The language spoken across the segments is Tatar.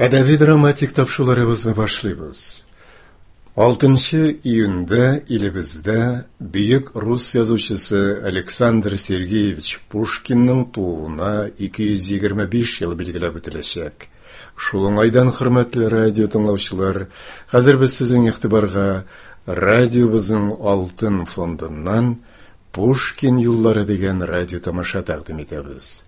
Әдәби-драматик тапшыруларыбызны башлыйбыз. 6 июньдә илебездә бөек рус язучысы Александр Сергеевич Пушкинның тууына 225 ел билгеләп үтеләчәк. Шул уңайдан, хөрмәтле радио тыңлаучылар, хәзер без сезнең игътибарга радиобызның алтын фондыннан Пушкин юллары дигән радио тамаша тәкъдим итәбез.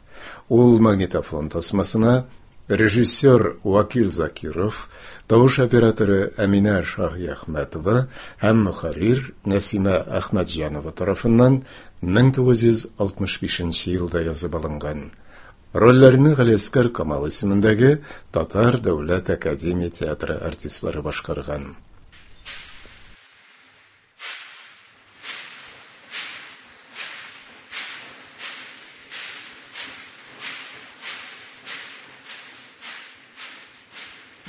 Ул магнитофон тасмасына режиссер Вакил Закиров, тавыш операторы Әминә Шаһиәхмәтова һәм мөхәррир Нәсимә Әхмәтҗанова тарафыннан 1965 елда язып алынган. Рольләрне Галиәсгар Камал исемендәге Татар дәүләт академия театры артистлары башкарган.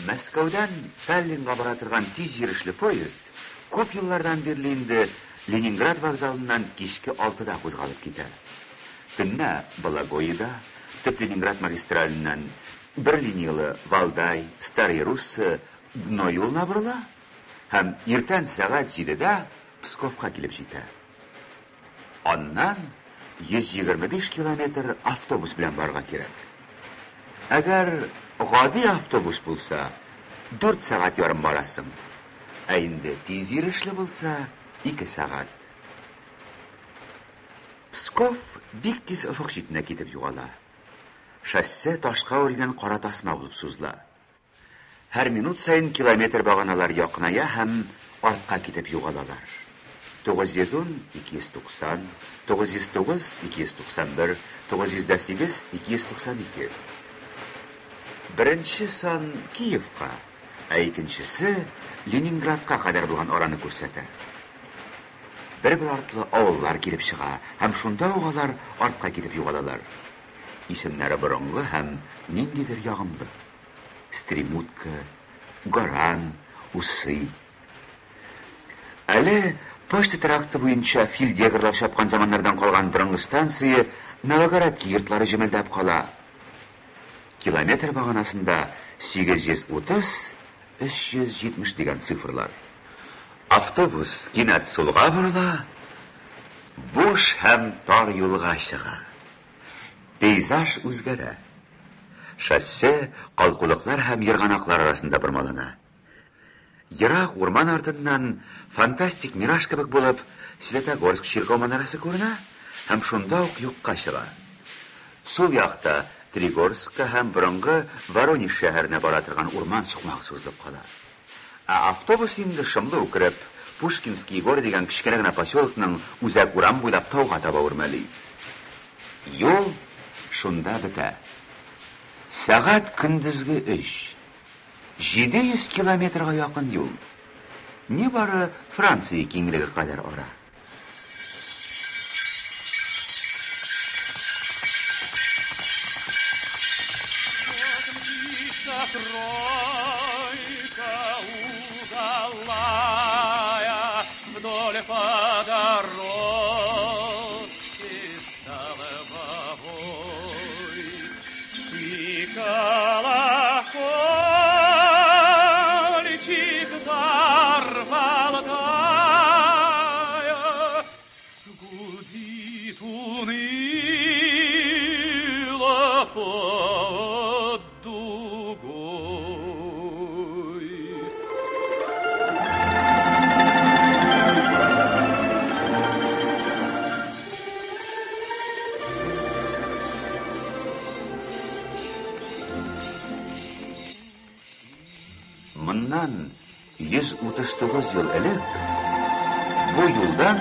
Мәскәүдән Таллинга бара торган тиз йөрешле поезд күп еллардан бирле инде Ленинград вокзалыннан кичке алтыда кузгалып китә. Төнлә Бологоеда, төп Ленинград магистраленнән бер линияле Валдай, Старый Русса, Дно юлына борыла һәм иртән сәгать җидедә Псковка килеп җитә. Аннан 125 километр автобус белән барырга кирәк. Әгәр гади автобус булса, 4 сәгать ярым барасың. Ә инде тиз йөрешле булса, 2 сәгать. Псков бик тиз офык читенә китеп югала. Шоссе ташка үрелгән кара тасма булып сузыла. Һәр минут саен километр баганалар якыная һәм артка китеп югалалар. 910, 290, 909, 291, 908, 292. Беренче сан Киевка, ә икенчесе Ленинградка кадәр булган араны күрсәтә. Бер-бер артлы авыллар килеп чыга һәм шунда ук алар артка китеп югалалар. Исемнәре борынгы һәм ниндидер ягымлы. Стремутка, Горан, Усы. Әле почта тракты буенча фельдъегерлар чапкан заманнардан калган борынгы станция Новогородки йортлары җемелдәп кала. Километр баганасында 830, 370 дигән цифрлар. Автобус кинәт сулга борыла, буш һәм тар юлга чыга. Пейзаж үзгәрә. Шоссе калкулыклар һәм ерганаклар арасында бормалана. Ерак урман артыннан фантастик мираж кебек булып Светогорск чиркәү манарасы күренә һәм шунда ук юкка чыга. Сул якта Тригорскка һәм борынгы Воронеж шәһәренә бара торган урман сукмагы сузылып кала. Ә автобус инде шомлы үкереп, Пушкинские горы дигән кечкенә генә поселокның үзәк урам буйлап тауга таба үрмәли. Юл шунда бетә. Сәгать көндезге өч. 700 километрга якын юл. Нибары Франция киңлеге кадәр ара. Тройка удалая вдоль по дорожке столбовой. И колокольчик взорвал тая, гудит уныло под дугой. Моннан 139 ел элек бу юлдан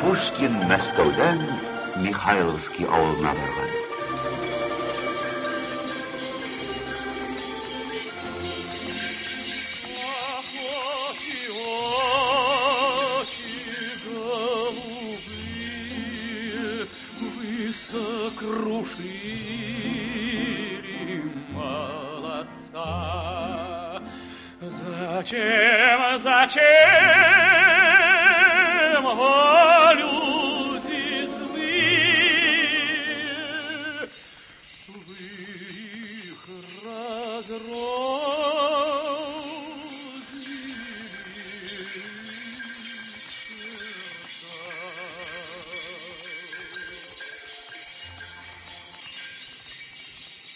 Пушкин Мәскәүдән Михайловский авылына барган. Ах, очи, очи голубые, вы сокрушили молодца. Зачем, зачем, о, люди злые, вы их разрознили?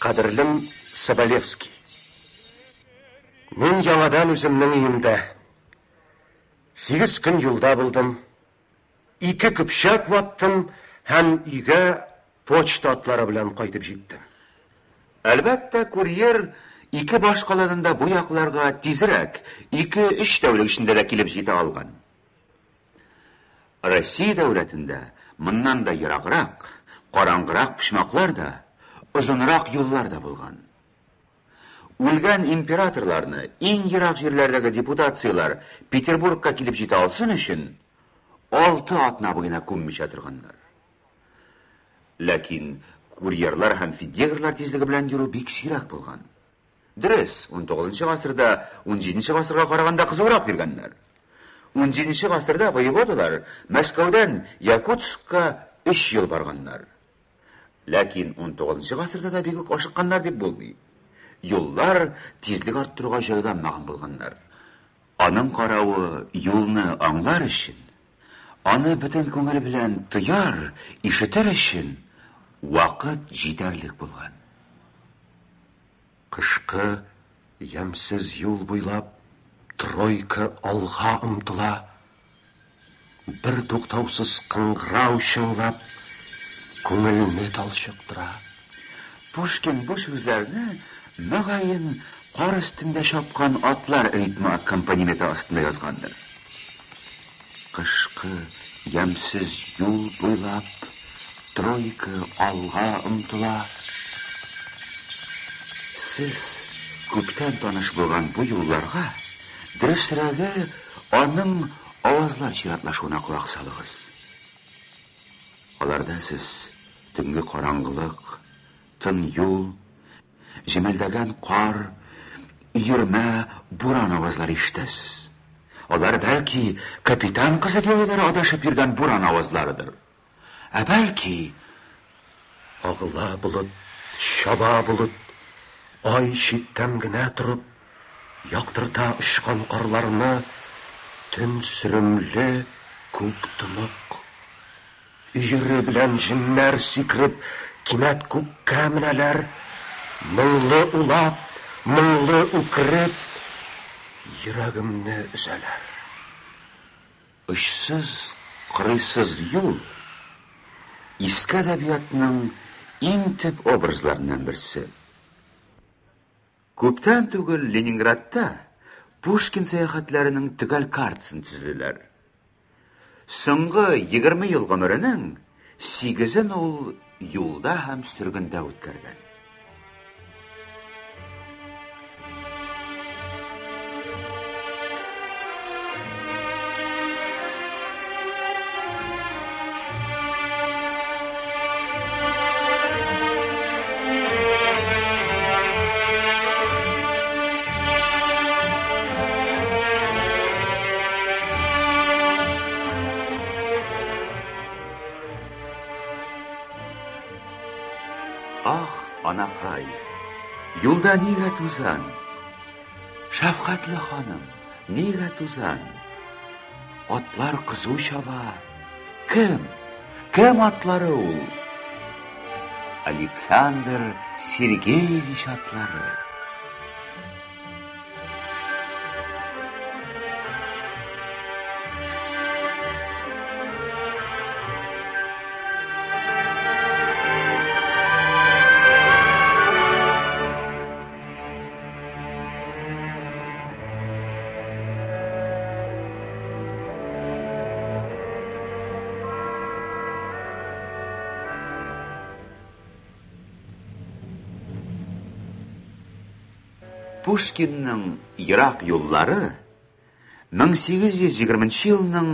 Кадерлем Соболевский. Мин яңадан үземнең өемдә. 8 көн юлда булдым. 2 көпчәк ваттым һәм өйгә почта атлары белән кайтып җиттем. Әлбәттә, курьер ике баш каладан да бу якларга тизрәк, 2-3 тәүлек эчендә дә килеп җитә алган. Россия дәүләтендә моннан да ераграк, караңгырак почмаклар да, озынрак юллар да булган. Үлгән императорларны иң ерак җирләрдәге депутацияләр Петербургка килеп җитә алсын өчен 6 атна буена күммичә торганнар. Ләкин курьерлар һәм фидегрлар тизлеге белән йөрү бик сирәк булган. Дөрес, 19 гасырда 17 гасырга караганда кызурак йөргәннәр. 17 гасырда воеводалар Мәскәүдән Якутскка 3 ел барганнар. Ләкин 19 гасырда да бик үк ашыкканнар дип булмый. Юллар тизлек арттыруга җайланмаган булганнар. Аның каравы юлны аңлар өчен, аны бөтен күңел белән тояр, ишетер өчен вакыт җитәрлек булган. Кышкы ямьсез юл буйлап тройка алга омтыла. Бер туктаусыз кыңгырау чыңлап, күңелне талчыктыра. Пушкин бу сүзләрне мөгаен кар өстендә чапкан атлар ритмы аккомпанементы астында язгандыр. Кышкы ямьсез юл буйлап тройка алга омтыла. Сез күптән таныш булган бу юлларга, дөресрәге, аның авазлар чиратлашуына колак салыгыз. Аларда сез төнге караңгылык, тын юл, җемелдәгән кар, өермә, буран авазлары ишетәсез. Алар бәлки капитан кызы геройлары адашып йөргән буран авазларыдыр. Ә бәлки агыла болыт, чаба болыт, ай читтән генә торып, яктырта очкан карларны, төн сөремле, күк тонык. Өере белән җеннәр сикереп, кинәт күккә менәләр, моңлы улап, моңлы үкереп, йөрәгемне өзәләр. Очсыз, кырыйсыз юл иске әдәбиятның иң төп образларыннан берсе. Күптән түгел Ленинградта Пушкин сәяхәтләренең төгәл картасын төзеделәр. Соңгы 20 ел гомеренең 8-ен ул юлда һәм сөргендә үткәргән. Ах, анакай, юлда нигә тузан? Шәфкатьле ханым, нигә тузан? Атлар кызу чаба. Кем? Кем атлары ул? Александр Сергеевич атлары. Пушкинның ерак юллары 1820 елның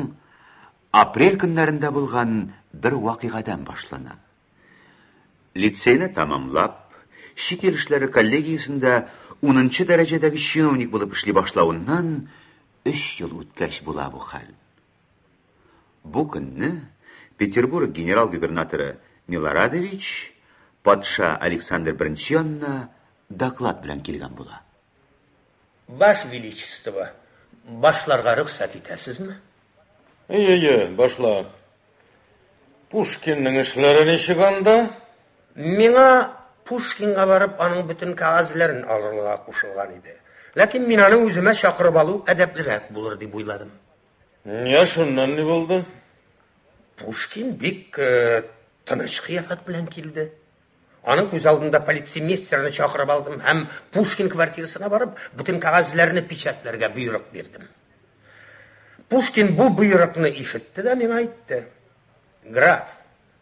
апрель көннәрендә булган бер вакыйгадан башлана. Лицейны тәмамлап, чит ил эшләре коллегиясендә 10 дәрәҗәдәге чиновник булып эшли башлавыннан 3 ел үткәч була бу хәл. Бу көнне Петербург генерал-губернаторы Милорадович патша Александр I янына доклад белән килгән була. Ваше Величество, башларга рөхсәт итәсезме? Әйе, башла. Пушкинның эшләре ничек анда? Миңа Пушкинга барып, аның бөтен кәгазьләрен алырга кушылган иде. Ләкин мин аны үземә чакырып алу әдәплерәк булыр дип уйладым. Я, шуннан ни булды? Пушкин бик тыныч кыяфәт белән килде. Аның күз алдында полицеймейстерны чакырып алдым һәм Пушкин квартирасына барып, бөтен кәгазьләрне печатьләргә боерык бирдем. Пушкин бу боерыкны ишетте дә миңа әйтте: "Граф,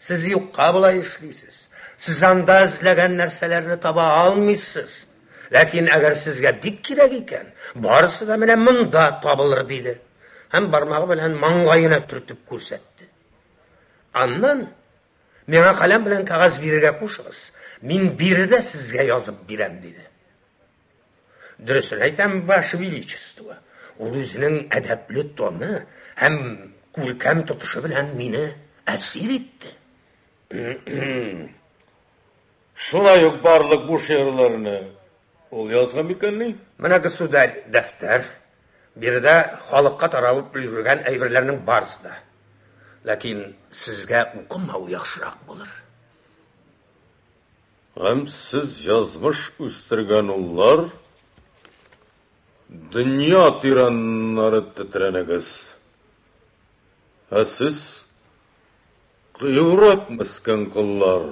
сез юкка болай эшлисез. Сез анда эзләгән нәрсәләрне таба алмыйсыз. Ләкин әгәр сезгә бик кирәк икән, барысы да менә монда табылыр", диде. Һәм бармагы белән маңгаена төртеп күрсәтте. Аннан миңа каләм белән кәгазь бирергә кушыгыз. Мин биредә сезгә язып бирәм, диде. Дөресен әйтәм, Ваше Величество, ул үзенең әдәпле тоны һәм күркәм тотышы белән мине әсир итте. Шулай ук барлык бу шигырьләрне ул язган микәнни? Менә, государь, дәфтәр. Биредә халыкка таралып өлгергән әйберләрнең барысы да. Ләкин сезгә укымау яхшырак булыр. Гамьсез язмыш үстергән уллар, дөнья тираннары тетрәнегез. Ә сез, кыюрак мескен коллар,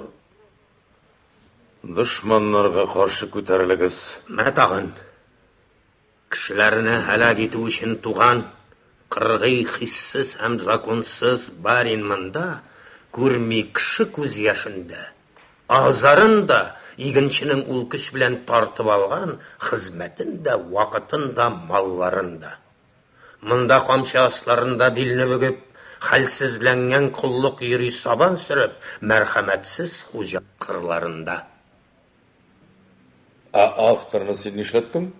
дошманнарга каршы күтәрелегез. Менә тагын кешеләрне һәлак итү өчен туган кыргый, хиссез һәм законсыз барин монда күрми кеше күз яшендә, азарын да, игенченең ул көч белән тартып алган хезмәтен дә, вакытын да, малларын да. Монда камчы асларында билне бөгеп, хәлсезләнгән коллык йөри сабан сөреп, мәрхәмәтсез хуҗа кырларында. Ә авторны син нишләттең?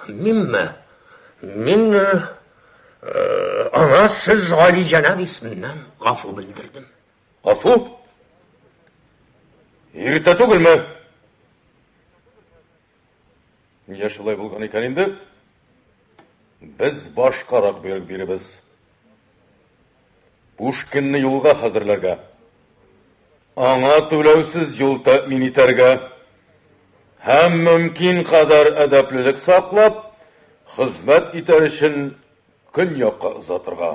Минме? Мин аңа сез гали җәнаб исеменнән гафу белдердем. Гафу? Иртә түгелме? Нигә шулай булган икән инде? Без башкарак боерык биребез. Пушкинны юлга хәзерләргә. Аңа түләүсез юл тәэмин итәргә һәм мөмкин кадәр әдәплелек саклап, хезмәт итәр өчен көньякка озатырга.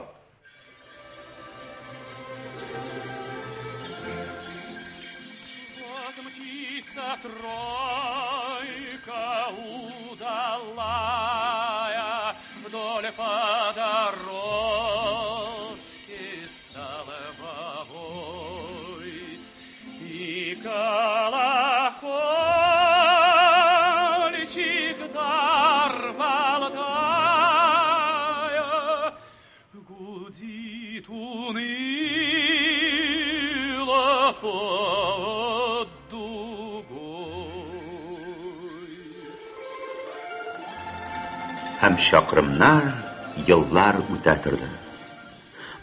Вот мчится тройка удалая вдоль по дорожке столбовой, и колокольчик дар болтая гудит уныло под дугой. Һәм чакрымнар, еллар үтә торды.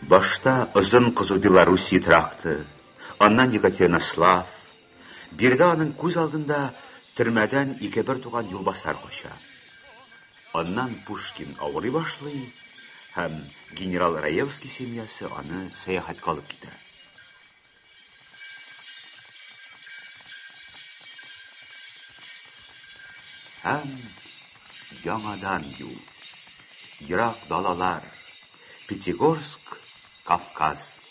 Башта озын кызу Белоруссия тракты, аннан Екатеринослав. Биредә аның күз алдында төрмәдән ике бер туган юлбасар кача. Аннан Пушкин авырый башлый һәм генерал Раевский семьясы аны сәяхәткә алып китә. Һәм яңадан юл. Ерак далалар. Пятигорск, Кавказ.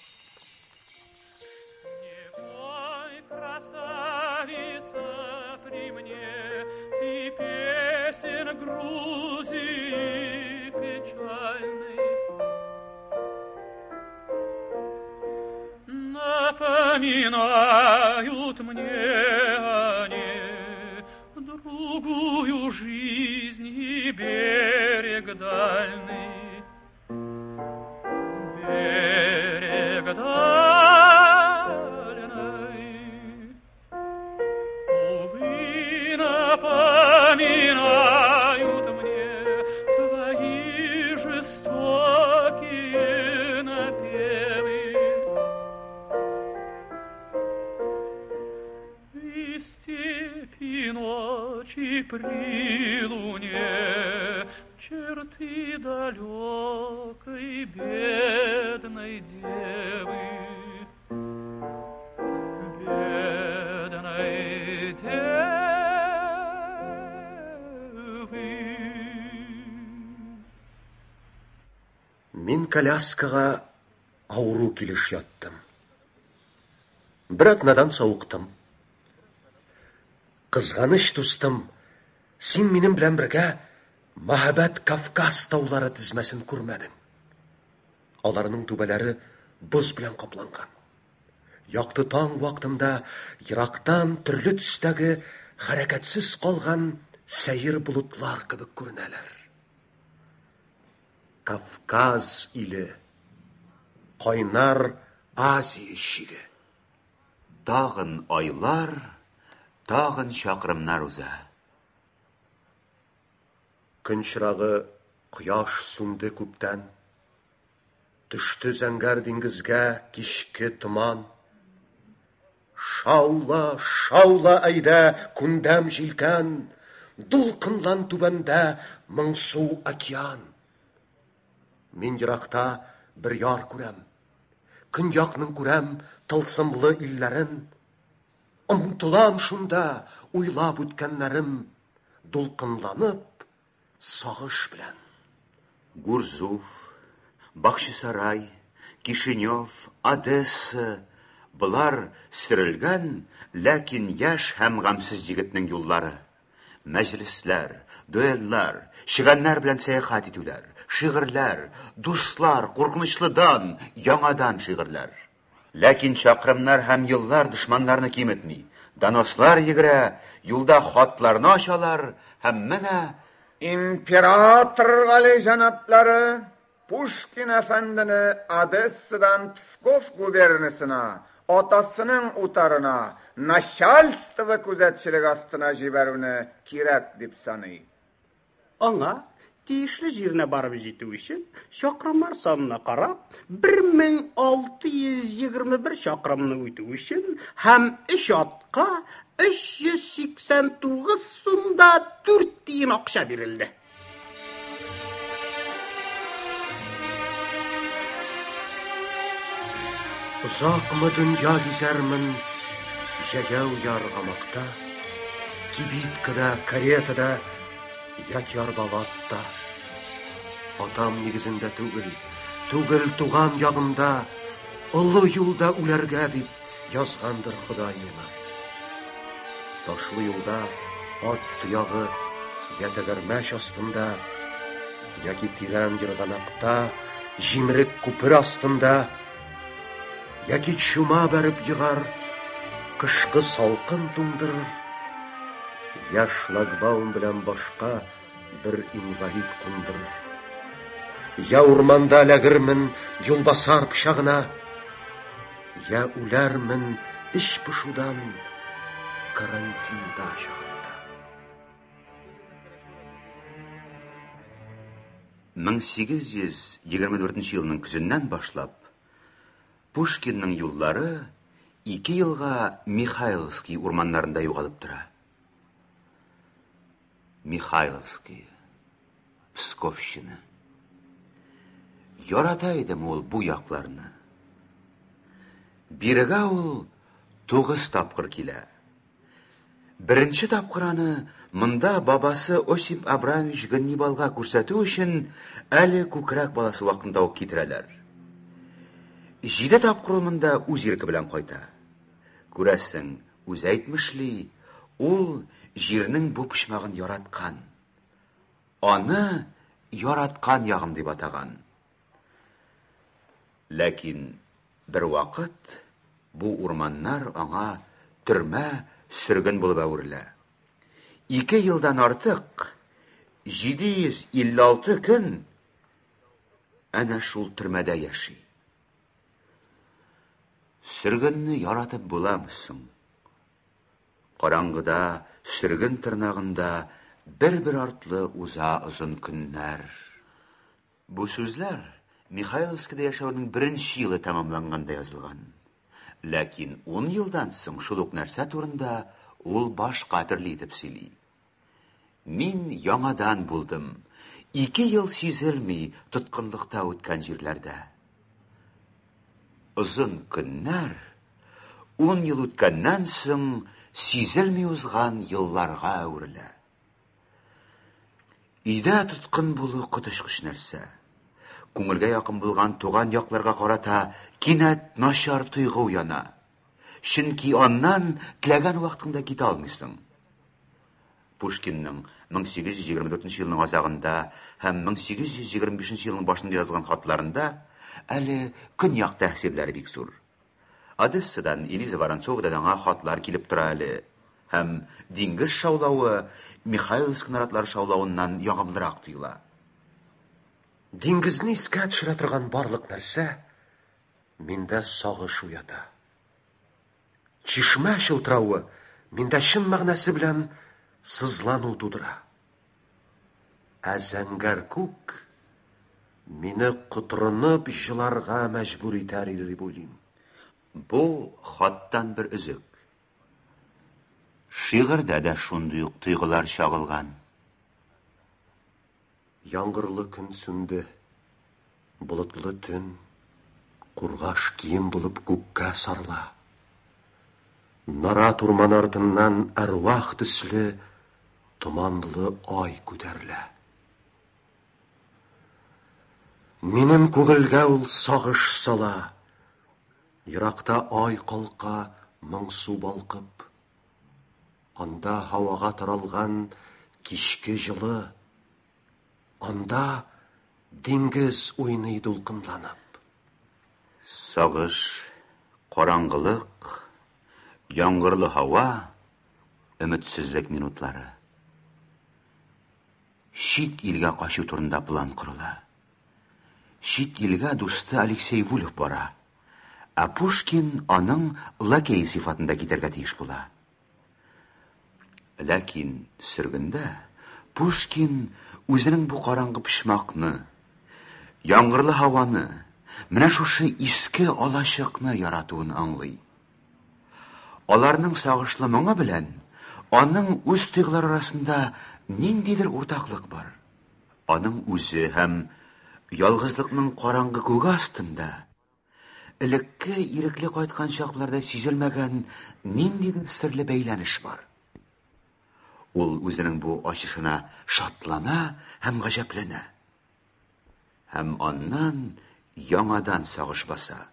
Не пой, красавица, при мне ты песен Грузии печальных. Напоминают мне они другую жизнь и берег дальний. Берег дальний. Увы, напоминают мне твои жестокие напевы. И степи ночи при луне черты далекой бедной девы. Бедной Мин коляскага авыру килеш яттым. Бер атнадан савыктым. Кызганыч дустым, син минем белән бергә мәһабәт Кавказ таулары тезмәсен күрмәдең. Аларның түбәләре боз белән капланган. Якты таң вакытында ерактан төрле төстәге хәрәкәтсез калган сәер болытлар кебек күренәләр. Кавказ иле, кайнар Азия чиге. Тагын айлар, тагын чакрымнар уза. Көн чырагы кояш сүнде күптән. Төште зәңгәр диңгезгә кичке томан. Шаула, шаула әйдә, күндәм җилкән, Дулкынлан түбәндә моңсу океан. Мин еракта бер яр күрәм. Көньякның күрәм тылсымлы илләрен. Омтылам шунда, уйлап үткәннәрем, дулкынланып, сагыш белән. Гурзуф, Бахчисарай, Кишинев, Одесса болар сөрелгән, ләкин яшь һәм гамьсез егетнең юллары. Мәҗлесләр, дуэльлар, чегәннәр белән сәяхәт итүләр, шигырьләр, дуслар, куркынычлы дан, яңадан шигырьләр. Ләкин чакрымнар һәм еллар дошманнарны киметми. Донослар йөгерә, юлда хатларны ачалар һәм менә Император галиҗәнаплары Пушкин әфәндене Одессадан Псков губернасына, атасының утарына, начальство күзәтчелеге астына җибәрүне кирәк дип саный. Аңа, тиешле җиренә барып җитү өчен, чакрымнар санына карап, 1621 чакрымны үтү өчен һәм өч атка 389 сум да 4 тиен акча бирелде. Озакмы дөнья гизәрмен җәяү яргамакта, кибиткада, каретада яки арбалы атта. Атам нигезендә түгел, түгел туган ягымда, олы юлда үләргә дип язгандыр Ходай миңа. Ташлы юлда ат тоягы я тәгәрмәч астында, яки тирән ерганакта, җимерек күпер астында, яки чума бәреп егар, кышкы салкын туңдырыр, я шлагбаум белән башка бер инвалид кундырыр. Я урманда эләгермен юлбасар пычагына, я үләрмен эч пошудан карантинда чагында. 1824 елның көзеннән башлап Пушкинның юллары ике елга Михайловский урманнарында югалып тора. Михайловский, Псковщина. Ярата идем ул бу якларны. Бирегә ул тугыз тапкыр килә. Беренче тапкыр аны монда бабасы Осип Абрамович Ганнибалга күрсәтү өчен әле күкрәк баласы вакытында ук китерәләр. Җиде тапкыр ул монда үз ирке белән кайта. Күрәсең, үзе әйтмешли, ул җирнең бу почмагын яраткан. Аны яраткан ягым дип атаган. Ләкин бервакыт бу урманнар аңа төрмә, сөрген булып әверелә. Ике елдан артык, 756 көн әнә шул төрмәдә яши. Сөргенне яратып буламы соң? Караңгыда, сөрген тырнагында бер-бер артлы уза озын көннәр. Бу сүзләр Михайловскида яшәүнең беренче елы тәмамланганда язылган. Ләкин ун елдан соң шул ук нәрсә турында ул башка төрле итеп сөйли. Мин яңадан булдым. Ике ел сизелми тоткынлыкта үткән җирләрдә. Озын көннәр ун ел үткәннән соң сизелми узган елларга әверелә. Өйдә тоткын булу коточкыч нәрсә. Күңелгә якын булган туган якларга карата кинәт начар тойгы уяна. Чөнки аннан теләгән вакытыңда китә алмыйсың. Пушкинның 1824 елның азагында һәм 1825 елның башында язган хатларында әле көньяк тәэсирләре бик зур. Одессадан Элиза Воронцовадан аңа хатлар килеп тора әле. Һәм диңгез шаулавы Михайловск наратлары шаулавыннан ягымлырак тоела. Диңгезне искә төшерә торган барлык нәрсә миндә сагыш уята. Чишмә чылтыравы миндә чын мәгънәсе белән сызлану тудыра. Ә зәңгәр күк мине котырынып җыларга мәҗбүр итәр иде дип уйлыйм. Бу хаттан бер өзек. Шигырьдә дә шундый ук тойгылар чагылган. Яңгырлы көн сүнде, болытлы төн кургаш кием булып күккә сарыла. Нарат урманы артыннан әрвах төсле томанлы ай күтәрелә. Минем күңелгә ул сагыш сала. Еракта ай калка моңсу балкып. Анда һавага таралган кичке җылы. Анда диңгез уйный дулкынланып. Сагыш, караңгылык, яңгырлы һава, өметсезлек минутлары. Чит илгә качу турында план корыла. Чит илгә дусты Алексей Вульф бара. Ә Пушкин аның лакей сыйфатында китәргә тиеш була. Ләкин сөргендә Пушкин үзенең бу караңгы почмакны, яңгырлы һаваны, менә шушы иске алачыкны яратуын аңлый. Аларның сагышлы моңы белән аның үз тойгылары арасында ниндидер уртаклык бар. Аның үзе һәм ялгызлыкның караңгы күге астында элекке ирекле кайткан чакларда сизелмәгән ниндидер серле бәйләнеш бар. Ул үзенең бу ачышына шатлана һәм гаҗәпләнә. Һәм аннан яңадан сагыш баса.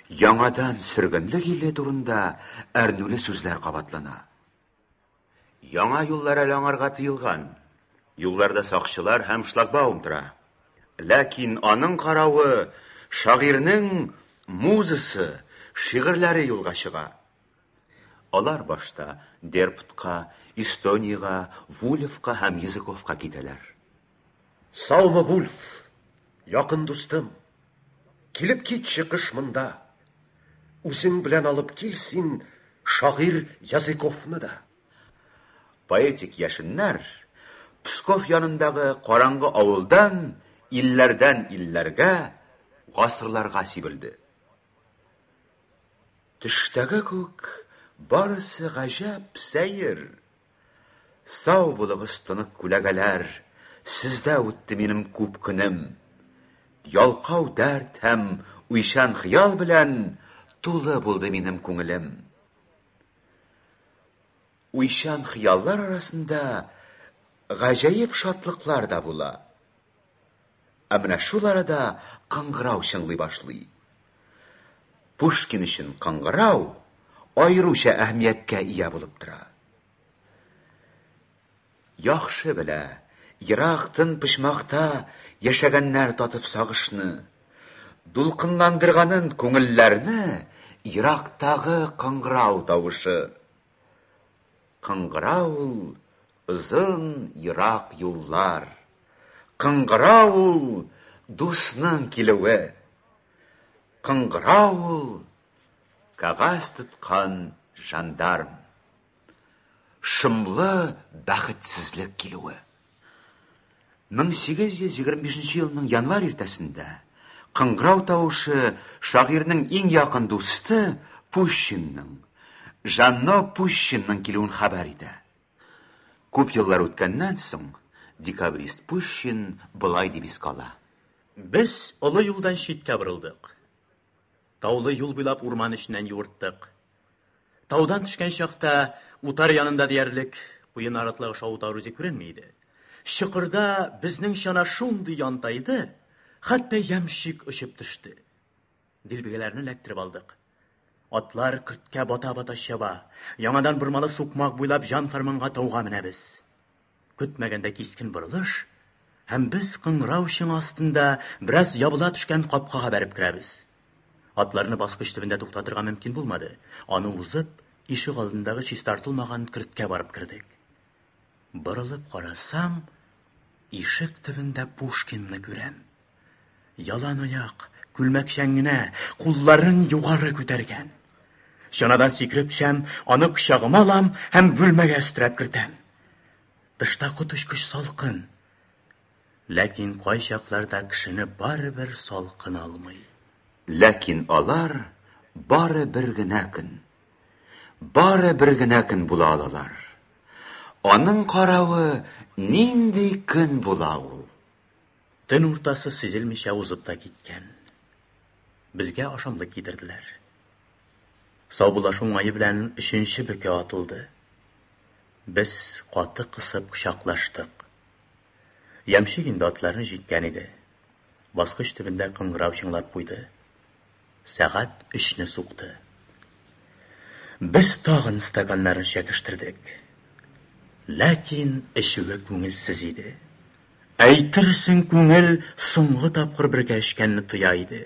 Яңадан сөргенлек иле турында әрнүле сүзләр кабатлана. Яңа юллар әле аңарга тыелган. Юлларда сакчылар һәм шлагбаум тора. Ләкин аның каравы шагыйрьнең музасы, шигырьләре юлга чыга. Алар башта Дерптка, Эстониягә, Вульфка һәм Языковка китәләр. Саумы, Вульф, якын дустым. Килеп китче кыш монда. Үзең белән алып кил син шагыйрь Языковны да. Поэтик яшеннәр Псков янындагы караңгы авылдан илләрдән илләргә, гасырларга сибелде. Төштәге күк барысы гаҗәп сәер. Сау булыгыз, тонык күләгәләр, сездә үтте минем күп көнем. Ялкау дәрт һәм уйчан хыял белән тулы булды минем күңелем. Уйчан хыяллар арасында гаҗәеп шатлыклар да була. Ә менә шул арада кыңгырау чыңлый башлый. Пушкин өчен кыңгырау аеруча әһәмияткә ия булып тора. Яхшы белә, ерак тын почмакта яшәгәннәр татып сагышны, дулкынландырганын күңелләрне ерактагы кыңгырау тавышы. Кыңгырау ул озын ерак юллар. Кыңгырау ул дусның килүе. Кыңгырау ул кәгазь тоткан жандарм. Шомлы бәхетсезлек килүе. 1825 елның январь иртәсендә кыңгырау тавышы шагыйрьнең иң якын дусты Пущинның, Жанно Пущинның килүен хәбәр итә. Күп еллар үткәннән соң декабрист Пущин болай дип искә ала. Без олы юлдан читкә борылдык. Таулы юл буйлап урман эченнән юырттык. Таудан төшкән чакта утар янында диярлек куе наратлык шау утар үзе күренми иде. Чокырда безнең чана шундый янтайды, Хәтта ямщик очып төште. Дилбегәләрне эләктереп алдык. Атлар көрткә бата-бата чаба. Яңадан бормалы сукмак буйлап җан-фәрманга тауга менәбез. Көтмәгәндә кискен борылыш, һәм без кыңгырау чыңы астында бераз ябыла төшкән капкага бәреп керәбез. Атларны баскыч төбендә туктатырга мөмкин булмады. Аны узып, ишек алдындагы чистартылмаган көрткә барып кердек. Борылып карасам, ишек төбендә Пушкинны күрәм. Ялан аяк, күлмәкчән генә, кулларын югары күтәргән. Чанадан сикереп төшәм, аны кочагыма алам һәм бүлмәгә өстерәп кертәм. Тышта коточкыч салкын. Ләкин кайчакларда кешене барыбер салкын алмый. Ләкин алар бары бер генә көн. Бары бер генә көн була алалар. Аның каравы нинди көн була ул? Төн уртасы сизелмичә узып та киткән. Безгә ашамлык китерделәр. Саубуллашу уңае белән өченче бөке атылды. Без каты кысып кочаклаштык. Ямщик инде атларны җиккән иде. Баскыч төбендә кыңгырау чыңлап куйды. Сәгать өчне сукты. Без тагын стаканнарны чәкештердек. Ләкин эчүе күңелсез иде. Әйтерсең, күңел соңгы тапкыр бергә эчкәнне тоя иде.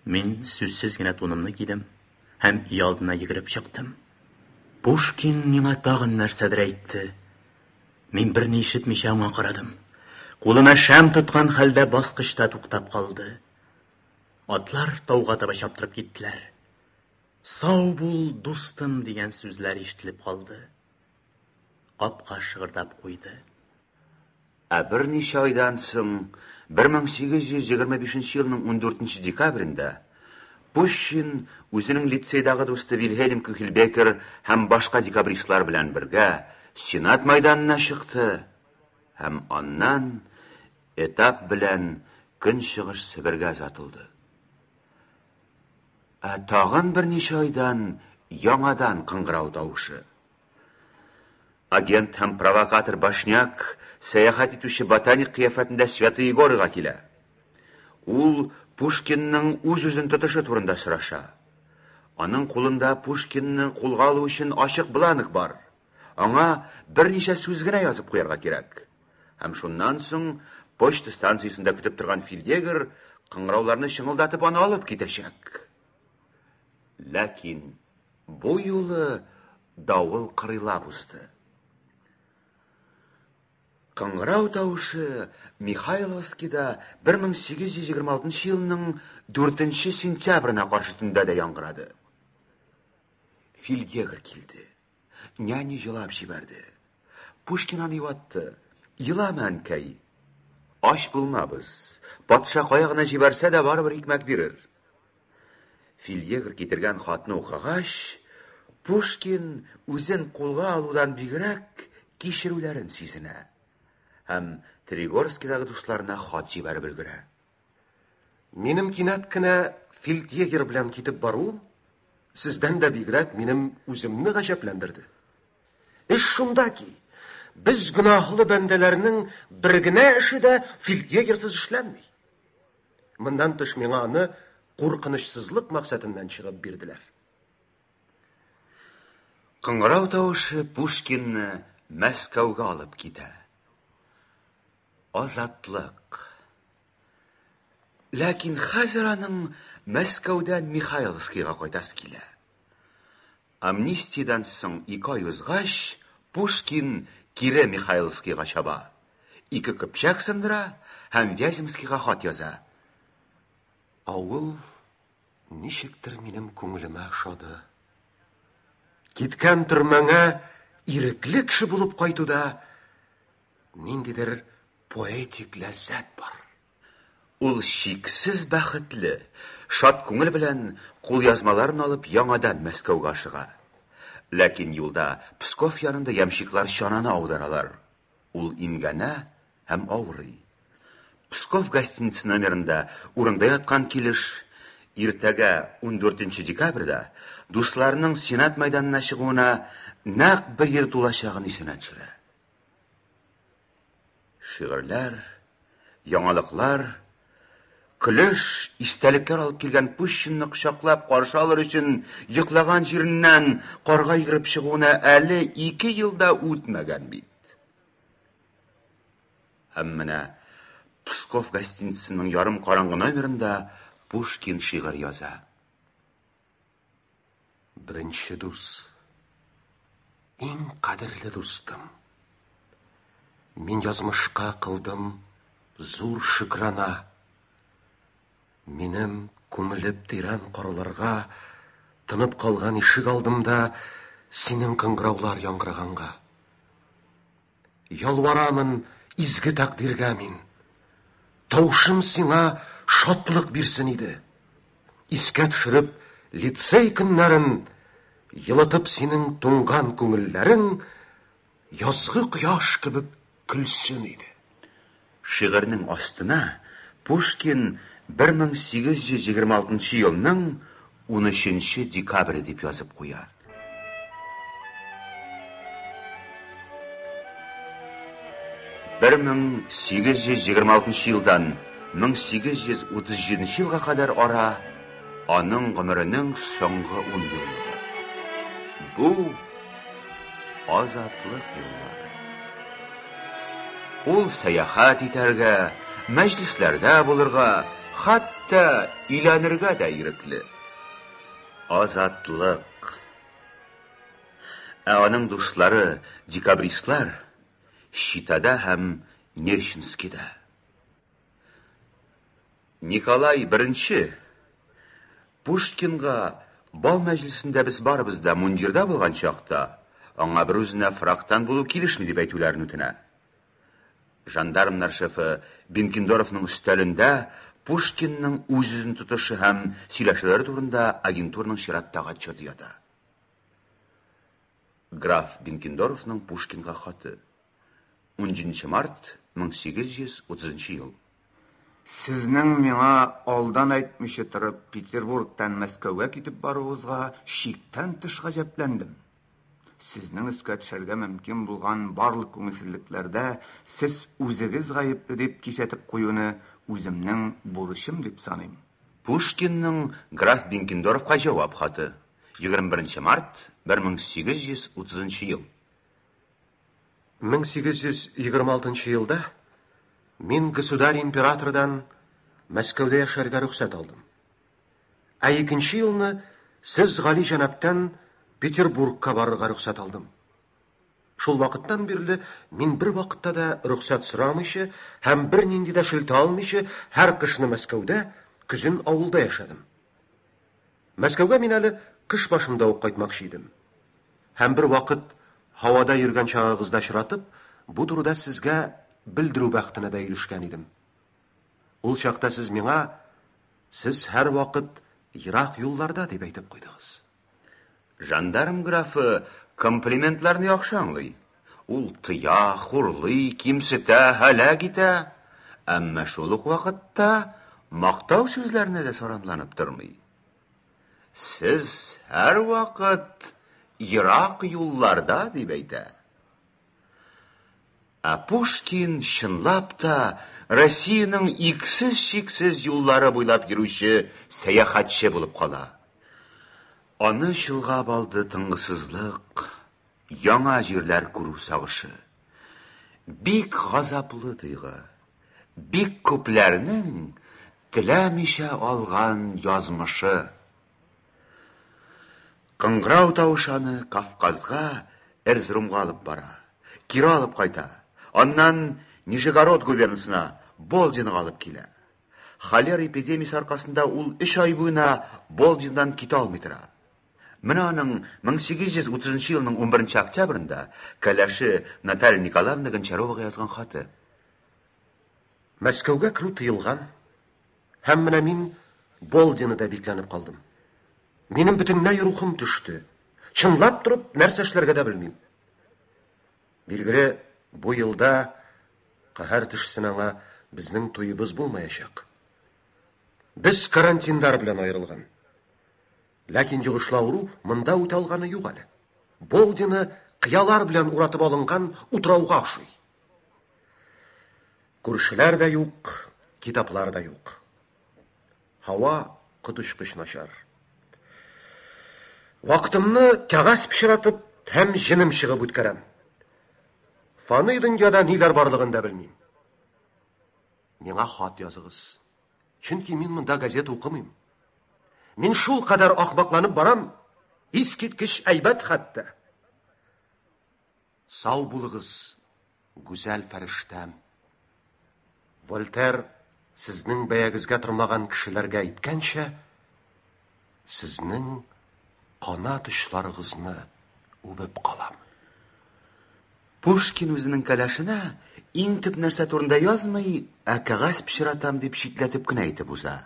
Мин сүзсез генә тунымны кидем һәм өйалдына йөгереп чыктым. Пушкин миңа тагын нәрсәдер әйтте. Мин берни ишетмичә аңа карадым. Кулына шәм тоткан хәлдә баскычта туктап калды. Атлар тауга таба чаптырып киттеләр. Сау бул, дустым, дигән сүзләр ишетелеп калды. Капка шыгырдап куйды. Ә берничә айдан соң, 1825 елның 14 декабрендә, Пущин үзенең лицейдагы дусты Вильһельм Кюхельбекер һәм башка декабристлар белән бергә Сенат мәйданына чыкты һәм аннан этап белән Көнчыгыш Себергә озатылды. Ә тагын берничә айдан яңадан кыңгырау тавышы. Агент һәм провокатор Башняк сәяхәт итүче ботаник кыяфәтендә Святые Горыга килә. Ул Пушкинның үз-үзен тотышы турында сораша. Аның кулында Пушкинны кулга алу өчен ачык бланк бар. Аңа берничә сүз генә язып куярга кирәк. Һәм шуннан соң почта станциясендә көтеп торган фельдъегер кыңгырауларны чыңылдатып аны алып китәчәк. Ләкин бу юлы давыл кырыйлап узды. Кыңгырау тавышы Михайловскида 1826 елның 4 сентябренә каршы төндә дә яңгырады. Фельдъегер килде. Няня җылап җибәрде. Пушкин аны юатты. Елама, әнкәй. Ач булмабыз. Патша кая гына җибәрсә дә барыбер икмәк бирер. Фельдъегер китергән хатны укыгач, Пушкин үзен кулга алудан бигрәк кичерүләрен сизенә һәм Тригорскидагы дусларына хат җибәреп өлгерә. Минем кинәт кенә фельдъегер белән китеп баруым сездән дә бигрәк минем үземне гаҗәпләндерде. Эш шунда ки, без гөнаһлы бәндәләрнең бер генә эше дә фельдъегерсыз эшләнми. Моннан тыш миңа аны куркынычсызлык максатыннан чыгып бирделәр. Кыңгырау тавышы Пушкинны Мәскәүгә алып китә. Азатлык. Ләкин хәзер аның Мәскәүдән Михайловскийга кайтасы килә. Амнистиядән соң ике ай узгач, Пушкин кире Михайловскийга чаба. Ике көпчәк сындыра һәм Вяземскийга хат яза. Авыл ничектер минем күңелемә ошады. Киткән төрмәңә ирекле кеше булып кайтуда ниндидер поэтик ләззәт бар. Ул чиксез бәхетле, шат күңел белән кулъязмаларын алып яңадан Мәскәүгә ашыга. Ләкин юлда Псков янында ямщиклар чананы аударалар. Ул имгәнә һәм авырый. Псков гостиница номерында урында яткан килеш иртәгә 14 декабрьдә дусларының Сенат мәйданына чыгуына нәкъ бер ел тулачагын исенә төшерә. Шигырьләр, Яңалыклар, көлеш, истәлекләр алып килгән Пущинны кочаклап каршы алыр өчен йоклаган җиреннән карга йөгереп чыгуына әле 2 ел да үтмәгән бит. Һәм менә Псков гостиницасының ярым караңгы номерында Пушкин шигырь яза. Беренче дус. Иң кадерле дустым. Мин язмышка кылдым зур шөкрана. Минем күмелеп тирән карларга тынып калган ишек алдымда синең кыңгыраулар яңгыраганга. Ялварамын изге тәкъдиргә мин. Тавышым сиңа шатлык бирсен иде. Искә төшереп лицей көннәрен, йылытып синең туңган күңелләрең, язгы кояш кебек көлсен иде. Шигырьнең астына Пушкин 1826 елның 13 декабре дип язып куя. 1826 елдан 1837 елга кадәр ара аның гомеренең соңгы 10 еллыгы. Бу азатлык еллары. Ул сәяхәт итәргә, мәҗлесләрдә булырга, хәтта өйләнергә дә ирекле. Азатлык. Ә аның дуслары, декабристлар, Читада һәм Нерчинскида. Николай I Пушкинга бал мәҗлесендә без барыбыз да мундирда булган чакта, аңа бер үзенә фрактан булу килешми дип әйтүләрен үтенә. Жандармнар шефы Бенкендорфның өстәлендә Пушкинның үз-үзен тотышы һәм сөйләшүләре турында агентурның чираттагы отчеты ята. Граф Бенкендорфның Пушкинга хаты. 17 март 1830 ел. Сезнең миңа алдан әйтмичә торып Петербургтан Мәскәүгә китеп баруыгызга чиктән тыш гаҗәпләндем. Сезнең өскә төшәргә мөмкин булган барлык күңелсезлекләрдә сез үзегез гаепле дип кисәтеп куюны үземнең бурычым дип саныйм. Пушкинның граф Бенкендорфка җавап хаты. 21 март 1830 ел. 1826 елда мин государь императордан Мәскәүдә яшәргә рөхсәт алдым. Ә икенче елны сез гали җәнабтан Петербургка барырга рөхсәт алдым. Шул вакыттан бирле мин бер вакытта да рөхсәт сорамыйча һәм бер нинди дә шелтә алмыйча һәр кышны Мәскәүдә, көзен авылда яшәдем. Мәскәүгә мин әле кыш башында ук кайтмакчы идем. Һәм бер вакыт һавада йөргән чагыгызда очратып, бу турыда сезгә белдерү бәхетенә дә ирешкән идем. Ул чакта сез миңа, сез һәр вакыт ерак юлларда дип әйтеп куйдыгыз. Жандарм графы комплиментларны яхшы аңлый. Ул тыя, хурлый, кимсетә, һәлак итә. Әмма шул ук вакытта мактау сүзләренә дә саранланып тормый. Сез һәр вакыт ерак юлларда дип әйтә. Ә Пушкин чынлап та Россиянең иксез-чиксез юллары буйлап йөрүче сәяхәтче булып кала. Аны чолгап алды тынгысызлык, яңа җирләр күрү сагышы. Бик газаплы тойгы, бик күпләрнең теләмичә алган язмышы. Кыңгырау тавышы аны Кавказга, Эрзрумга алып бара. Кире алып кайта. Аннан Нижегород губернасына, Болдинга алып килә. Холера эпидемиясе аркасында ул 3 ай буена Болдиндан китә алмый тора. Менә аның 1830 елның 11 октябрендә кәләше Наталья Николаевна Гончаровага язган хаты. Мәскәүгә керү тыелган. Һәм менә мин Болдинода бикләнеп калдым. Минем бөтенләй рухым төште. Чынлап торып, нәрсә эшләргә дә белмим. Билгеле, бу елда каһәр төшсен аңа безнең туебыз булмаячак. Без карантиндар белән аерылган. Ләкин йогышлы авыру монда үтә алганы юк әле. Болдина кыялар белән уратып алынган утрауга охшый. Күршеләр дә юк, китаплар да юк. Һава коточкыч начар. Вакытымны кәгазь пычратып һәм җенем чыгып үткәрәм. Фани дөньяда ниләр барлыгын да белмим. Миңа хат языгыз. Чөнки мин монда газета укымыйм. Мин шул кадәр ахмакланып барам, искиткеч әйбәт хәтта. Сау булыгыз, гүзәл фәрештәм. Вольтер сезнең бәягезгә тормаган кешеләргә әйткәнчә, сезнең канат очларыгызны үбеп калам. Пушкин үзенең кәләшенә иң төп нәрсә турында язмый, ә кәгазь пычратам дип читләтеп кенә әйтеп уза.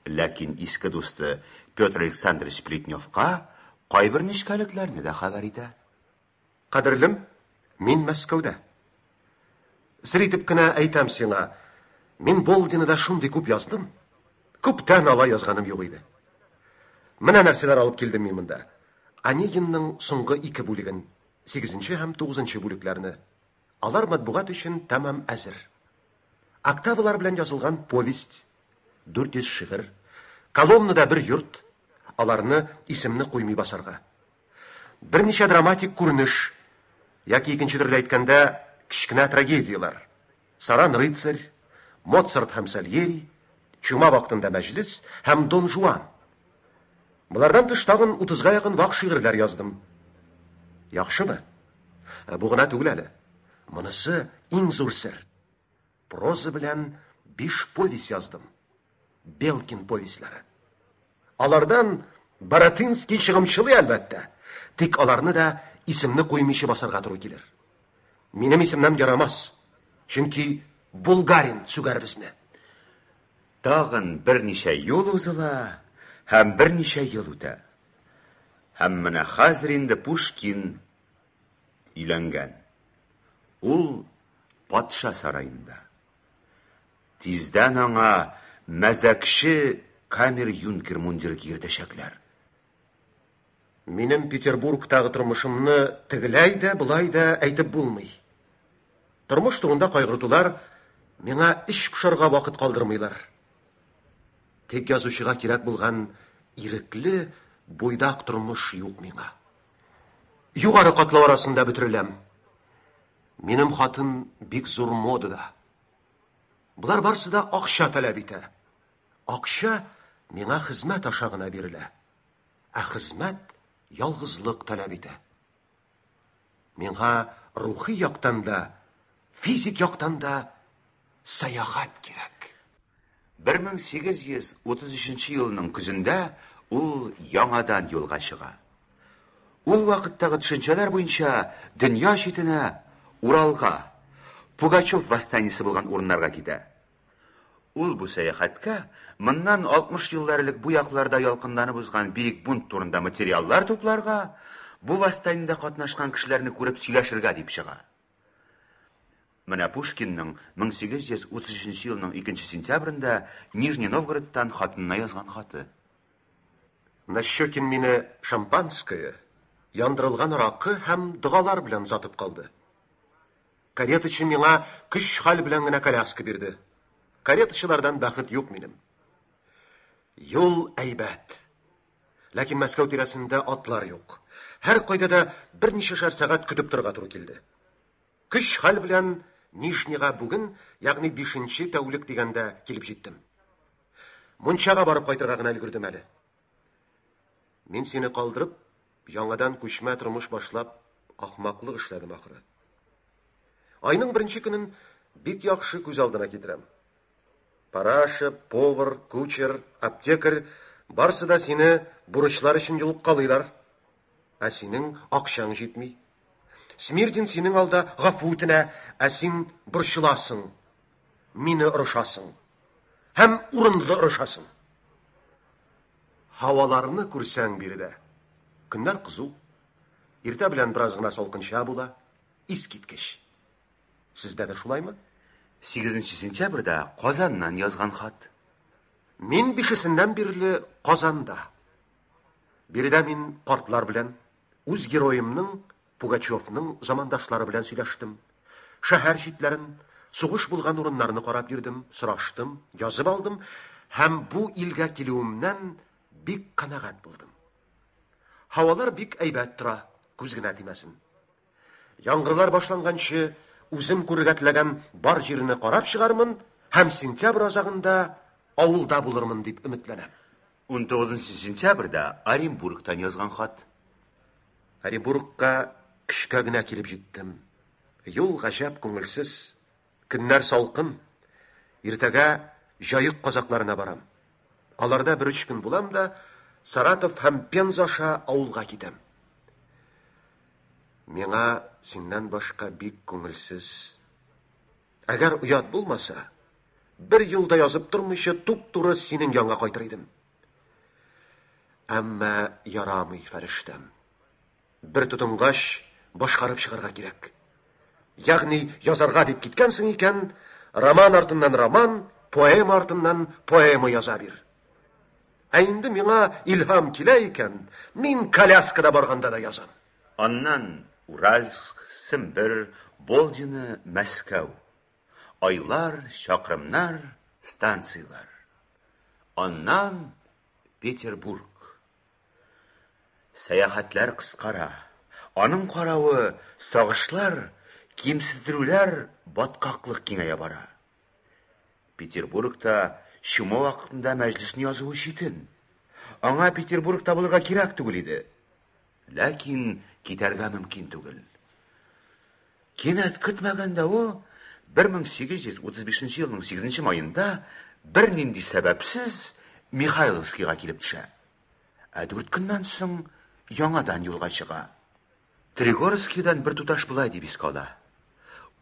Ләкин иске дусты Петр Александрович Плетневка кайбер нечкәлекләрне дә хәбәр итә. Кадерлем, мин Мәскәүдә. Сер итеп кенә әйтәм сиңа, мин Болдинада шундый күп яздым. Күптән алай язганым юк иде. Менә нәрсәләр алып килдем мин монда. Онегинның соңгы ике бүлеген, 8 һәм 9 бүлекләрне. Алар матбугат өчен тәмам әзер. Октавалар белән язылган повесть, 400 шигырь, Коломнада бер йорт, аларны исемне куймый басарга. Берничә драматик күренеш, яки икенче төрле әйткәндә, кечкенә трагедияләр. Саран рыцарь, Моцарт һәм Сальери, Чума вакытында мәҗлес һәм Дон Жуан. Болардан тыш тагын 30-га якын вак шигырьләр яздым. Яхшымы? Бу гына түгел әле. Монысы иң зур сер. Проза белән 5 повесть яздым. Белкин повестьләре. Алардан Баратынский чыгымчылый әлбәттә. Тик аларны да исемне куймыйча басарга туры килер. Минем исемнән ярамас. Чөнки Булгарин сүгәр безне. Тагын берничә юл узыла һәм берничә ел үтә. Һәм менә хәзер инде Пушкин өйләнгән. Ул патша сараенда. Тиздән аңа мәзәкче камер-юнкер мундиры кигертәчәкләр. Минем Петербургтагы тормышымны тегеләй дә, болай да әйтеп булмый. Тормыш турында кайгыртулар миңа эч пошарга вакыт калдырмыйлар. Тик язучыга кирәк булган ирекле, буйдак тормыш юк миңа. Югары катлау арасында бөтереләм. Минем хатын бик зур модада. Болар барысы да акча таләп итә. Акча миңа хезмәт аша гына бирелә. Ә хезмәт ялгызлык таләп итә. Миңа рухи яктан да, физик яктан да сәяхәт кирәк. 1833 елның көзендә ул яңадан юлга чыга. Ул вакыттагы төшенчәләр буенча дөнья читенә Уралга, Пугачев восстаниесе булган урыннарга китә. Ул бу сәяхәткә моннан 60 еллар элек бу якларда ялкынланып узган бөек бунт турында материаллар тупларга, бу восстаниедә катнашкан кешеләрне күреп сөйләшергә дип чыга. Менә Пушкинның 1833 елның 2 сентябрендә Нижний Новгородтан хатынына язган хаты. Нащекин мине шампанское, яндырылган аракы һәм догалар белән озатып калды. Каретачы миңа көч-хәл белән генә коляска бирде. Каретачылардан бәхет юк минем. Юл әйбәт. Ләкин Мәскәү тирәсендә атлар юк. Һәр кайда да берничәшәр сәгать көтеп торырга туры килде. Көч-хәл белән Нижнийга бүген, ягъни 5 тәүлек дигәндә килеп җиттем. Мунчага барып кайтырга гына өлгердем әле. Мин сине калдырып, яңадан күчмә тормыш башлап, ахмаклык эшләдем ахыры. Айның беренче көнен бик яхшы күз алдына китерәм. Параша, повар, кучер, аптекарь барысы да сине бурычлар өчен йолыккалыйлар. Ә синең акчаң җитми. Смирдин синең алда гафу үтенә, ә син борчыласың, мине орышасың. Һәм урынлы орышасың. Һаваларны күрсәң биредә. Көннәр кызу. Иртә белән бераз гына салкынча була. Искиткеч. Сездә дә шулаймы? 8 сентябрьдә Казаннан язган хат. Мин бишесеннән бирле Казанда. Биредә мин картлар белән, үз героемның Пугачевның замандашлары белән сөйләштем. Шәһәр читләрен, Сугыш булган урыннарны карап йөрдем, сораштым, язып алдым һәм бу илгә килүемнән бик канәгать булдым. Һавалар бик әйбәт тора, күз генә тимәсен. Яңгырлар башланганчы үзем күрергә теләгән бар җирне карап чыгармын һәм сентябрь азагында авылда булырмын дип өметләнәм. 19 сентябрьдә Оренбургтан язган хат. Оренбургка көчкә генә килеп җиттем. Юл гаҗәп күңелсез. Көннәр салкын. Иртәгә Җаек казакларына барам. Аларда бер өч көн булам да, Саратов һәм Пенза аша авылга китәм. Миңа синнән башка бик күңелсез. Әгәр оят булмаса, бер юл да язып тормыйча туп-туры синең янга кайтыр идем. Әмма ярамый, фәрештәм. Бер тотынгач, башкарып чыгарга кирәк. Ягъни язарга дип киткәнсең икән, роман артыннан роман, поэма артыннан поэма яза бир. Ә инде миңа илһам килә икән, мин коляскада барганда да язам. Аннан Уральск, Сембер, Болдино, Мәскәү. Айлар, чакрымнар, станцияләр. Аннан Петербург. Сәяхәтләр кыскара. Аның каравы сагышлар, кимсеттерүләр, баткаклык киңәя бара. Петербургта чума вакытында мәҗлесне язуы читен. Аңа Петербургта булырга кирәк түгел иде. Ләкин китәргә мөмкин түгел. Кинәт көтмәгәндә ул 1835 елның 8 маенда бернинди сәбәпсез Михайловскийга килеп төшә. Ә дүрт көннән соң яңадан юлга чыга. Тригорскийдан бер туташ болай дип искә ала.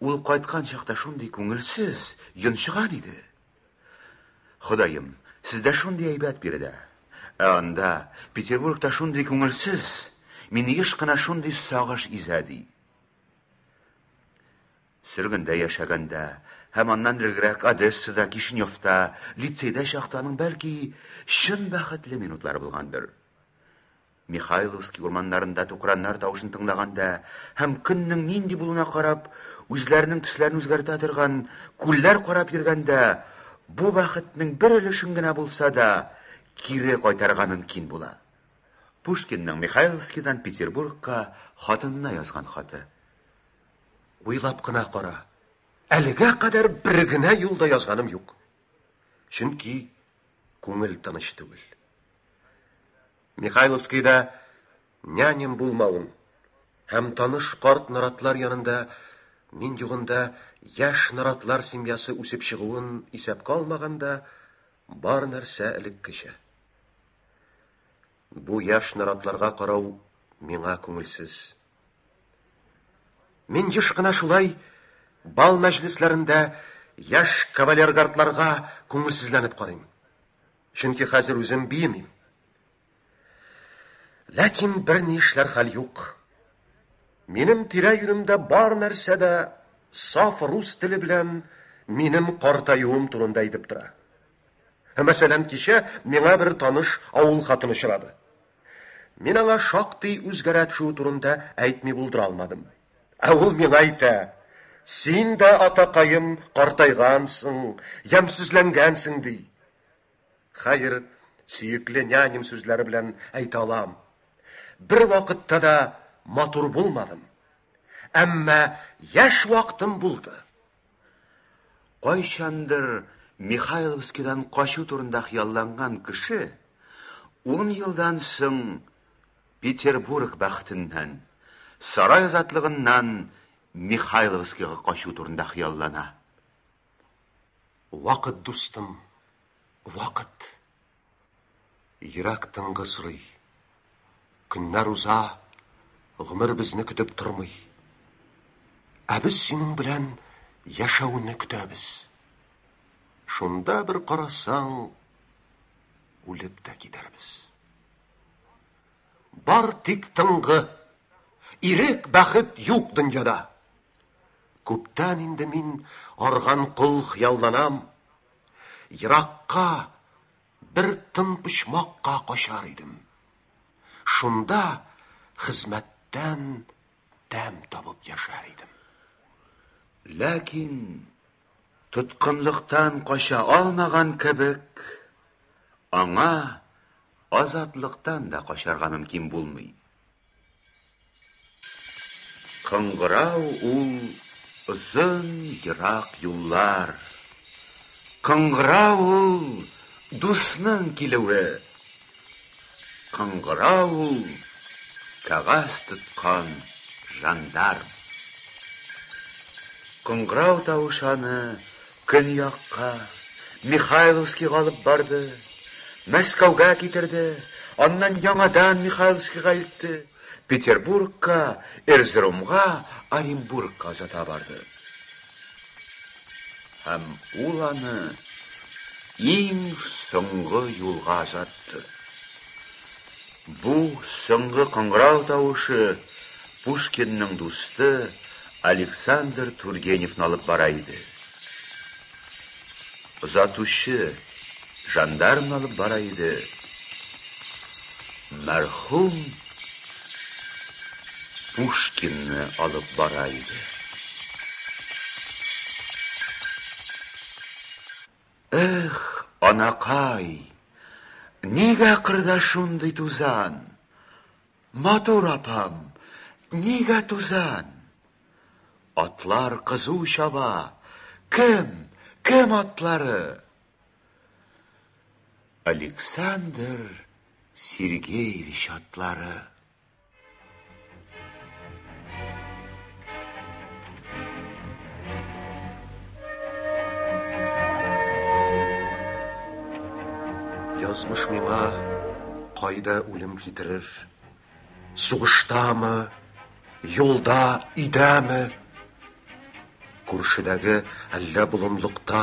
Ул кайткан чакта шундый күңелсез, йончыган иде. Ходаем, сездә шундый әйбәт биредә. Ә анда, Петербургта шундый күңелсез, мине еш кына шундый сагыш изә, ди. Сөргендә яшәгәндә һәм аннан элегрәк Одессада, Кишиневта, лицейда чакта аның бәлки чын бәхетле минутлары булгандыр. Михайловский урманнарында тукраннар тавышын тыңлаганда һәм көннең нинди булуына карап, үзләренең төсләрен үзгәртә торган күлләр карап йөргәндә, бу бәхетнең бер өлешен генә булса да кире кайтарырга мөмкин була. Пушкинның Михайловскийдан Петербургка хатынына язган хаты. Уйлап кына кара. Әлегә кадәр бер генә юл да язганым юк. Чөнки күңел тыныч түгел. Михайловскийда няням булмавын һәм таныш карт наратлар янында мин югында яшь наратлар семьясы үсеп чыгуын исәпкә алмаганда, бар нәрсә элеккечә. Бу яшь наратларга карау миңа күңелсез. Мин еш кына шулай бал мәҗлесләрендә яшь кавалергардларга күңелсезләнеп карыйм. Чөнки хәзер үзем биемим. Ләкин бер ни эшләр хәл юк. Минем тирә-юнемдә бар нәрсә дә саф рус теле белән минем картаюым турында әйтеп тора. Мәсәлән, кичә миңа бер таныш авыл хатыны очрады. Мин аңа шактый үзгәрә төшүе турында әйтми булдыра алмадым. Ә ул миңа әйтә: "Син дә, атакаем, картайгансың, ямьсезләнгәнсең", ди. Хәер, сөекле няням сүзләре белән әйтә алам. Бер вакытта да матур булмадым. Әмма яшь вакытым булды. Кайчандыр Михайловскийдан качу турында хыялланган кеше 10 елдан соң Петербург бәхетеннән, сарай азатлыгыннан Михайловскийга качу турында хыяллана. Вакыт, дустым, вакыт. Йөрәк тынгы сорый. Көннәр уза, гомер безне көтеп тормый. Ә без синең белән яшәүне көтәбез. Шунда бер карасаң, үлеп тә китәрбез. Бар тик тынгы, ирек, бәхет юк дөньяда. Күптән инде мин арган кол хыялланам. Еракка, бер тын почмакка качар идем. Шунда хезмәттән тәм табып яшәр идем. Ләкин Тоткынлыктан кача алмаган кебек, аңа азатлыктан да качарга мөмкин булмый. Кыңгырау ул озын ерак юллар. Кыңгырау ул дусның килүе. Кыңгырау ул кәгазь тоткан жандарм. Кыңгырау тавышы аны көньякка, Михайловскийга алып барды, Мәскәүгә китерде, аннан яңадан Михайловскийга илтте, Петербургка, Эрзерумга, Оренбургка озата барды. Һәм ул аны иң соңгы юлга озатты. Бу соңгы кыңгырау тавышы Пушкинның дусты Александр Тургеневны алып бара иде. Озатучы жандармны алып бара иде. Мәрхүм Пушкинны алып бара иде. Эх, анакай, нигә кырда шундый тузан? Матур апам, нигә тузан? Атлар кызу чаба. Кем, кем атлары? Александр Сергеевич атлары. Язмыш миңа кайда үлем китерер? Сугыштамы, юлда, өйдәме? Күршедәге әллә болынлыкта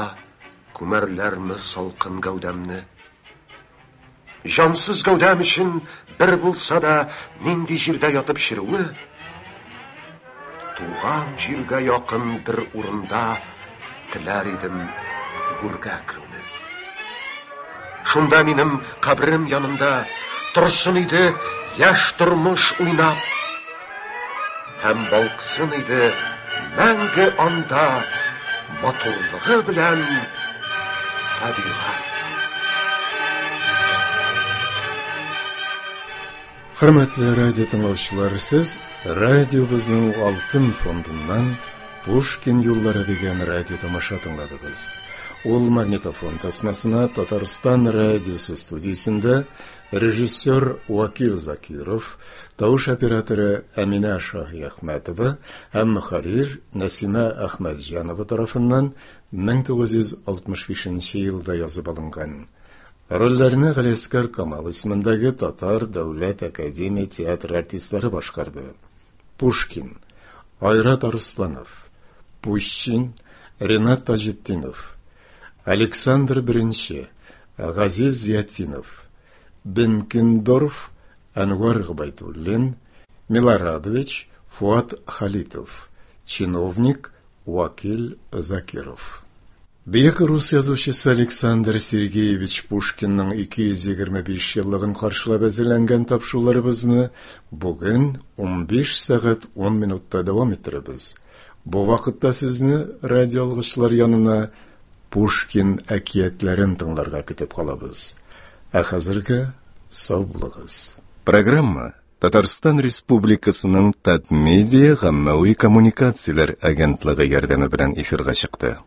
күмәрләрме салкын гәүдәмне? Җансыз гәүдәм өчен бер булса да нинди җирдә ятып черүе, туган җиргә якын бер урында теләр идем гүргә керүне. Шунда минем кабрем янында торсын иде яшь тормыш уйнап, һәм балкысын иде мәңге анда матурлыгы белән табигать. Хөрмәтле радио тыңлаучылар, сез радиобызның алтын фондыннан Пушкин юллары дигән радио тамаша тыңладыгыз. Ул магнитофон тасмасына Татарстан радиосы студиясендә режиссер Вакил Закиров, тавыш операторы Әминә Шаһиәхмәтова һәм мөхәррир Нәсимә Әхмәтҗанова тарафыннан 1965 елда язып алынган. Рольләрне Галиәсгар Камал исемендәге Татар дәүләт академия театры артистлары башкарды. Пушкин, Айрат Арсланов, Пущин, Ренат Таҗетдинов, Александр I, Газиз Зиятдинов, Бенкендорф, Әнвәр Гобәйдуллин, Милорадович, Фуат Халитов, чиновник Вакил Закиров. Бөек рус язучысы Александр Сергеевич Пушкинның 225 еллыгын каршылап әзерләнгән тапшыруларыбызны бүген 15 сәгать 10 минутта дәвам иттерәбез. Бу вакытта сезне радиоалгычлар янына Пушкин әкиятләрен тыңларга көтеп калабыз. Ә хәзергә сау булыгыз. Программа Татарстан Республикасының Татмедиа гаммәви коммуникацияләр агентлыгы ярдәме белән эфирга чыкты.